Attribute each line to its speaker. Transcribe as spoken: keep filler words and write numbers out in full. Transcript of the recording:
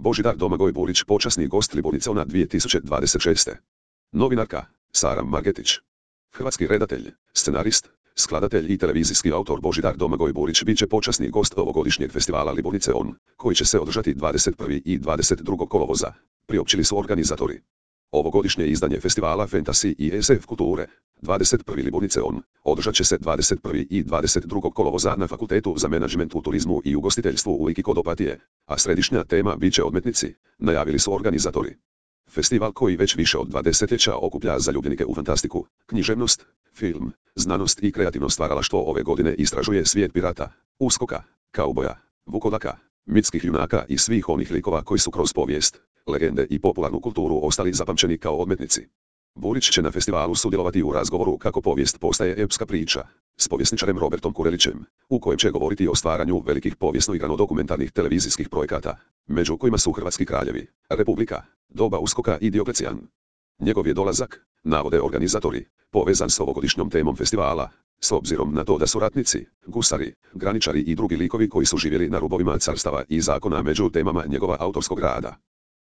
Speaker 1: Božidar Domagoj Burić, počasni gost Liburnicona dvije tisuće dvadeset šeste. Novinarka Sara Margetić. Hrvatski redatelj, scenarist, skladatelj i televizijski autor Božidar Domagoj Burić bit će počasni gost ovogodišnjeg festivala Liburnice On, koji će se održati dvadeset prvog i dvadeset drugog kolovoza, priopćili su organizatori. Ovogodišnje izdanje festivala Fantasy i S F kulture, dvadeset prvi Liburnice On, održat će se dvadeset prvog i dvadeset drugog kolovoza na Fakultetu za menadžment u turizmu i ugostiteljstvu u Liki kod Opatije, a središnja tema bit će odmetnici, najavili su organizatori. Festival koji već više od dva desetljeća okuplja zaljubljenike u fantastiku, književnost, film, znanost i kreativno stvaralaštvo ove godine istražuje svijet pirata, uskoka, kauboja, vukodaka, mitskih junaka i svih onih likova koji su kroz povijest, legende i popularnu kulturu ostali zapamćeni kao odmetnici. Burić će na festivalu sudjelovati u razgovoru kako povijest postaje epska priča, s povjesničarem Robertom Kurelićem, u kojem će govoriti o stvaranju velikih povijesno-igrano-dokumentarnih televizijskih projekata, među kojima su Hrvatski kraljevi, Republika, doba uskoka i Dioklecijan. Njegov je dolazak, navode organizatori, povezan s ovogodišnjom temom festivala, s obzirom na to da su ratnici, gusari, graničari i drugi likovi koji su živjeli na rubovima carstava i zakona među temama njegova autorskog rada.